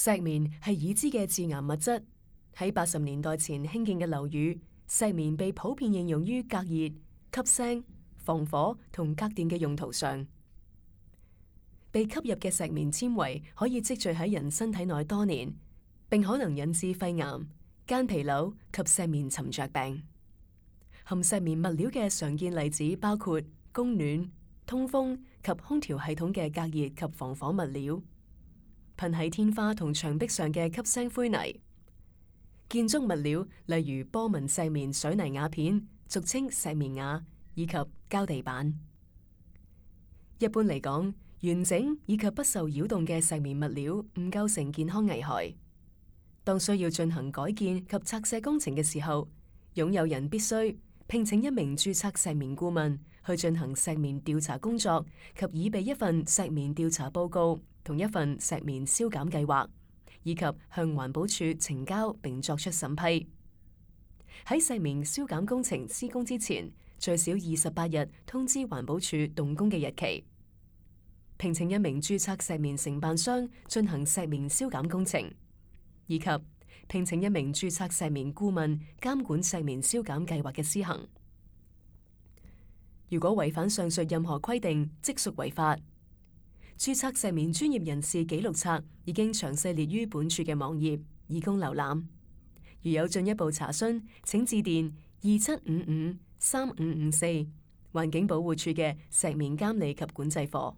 石棉係已知嘅致癌物質，喺80年代前興建嘅樓宇，石棉被普遍應用於隔熱、吸聲、防火同隔電嘅用途上。被吸入嘅石棉纖維可以積聚喺人身體內多年，並可能引致肺癌、間皮瘤及石棉沉着病。含石棉物料嘅常見例子包括供暖、通風及空調系統嘅隔熱及防火物料，噴喺天花同牆壁上嘅吸聲灰泥，建築物料例如波紋石棉水泥瓦片，俗稱石棉瓦，以及膠地板。一般嚟講，完整以及不受擾動嘅石棉物料唔構成健康危害。當需要進行改建及拆卸工程嘅時候，擁有人必須聘請一名註冊石棉顧問去進行石棉調查工作，及擬備一份石棉調查報告同一份石棉消減計劃，以及向環保署呈交並作出審批。喺石棉消減工程施工之前，最少28日通知環保署動工嘅日期。聘請一名註冊石棉承辦商進行石棉消減工程，以及聘請一名註冊石棉顧問監管石棉消減計劃嘅施行。如果違反上述任何規定，即屬違法。註冊石棉專業人士紀錄冊已經詳細列於本署嘅網頁，以供瀏覽。如有進一步查詢，請致電27553554，環境保護署嘅石棉監理及管制課。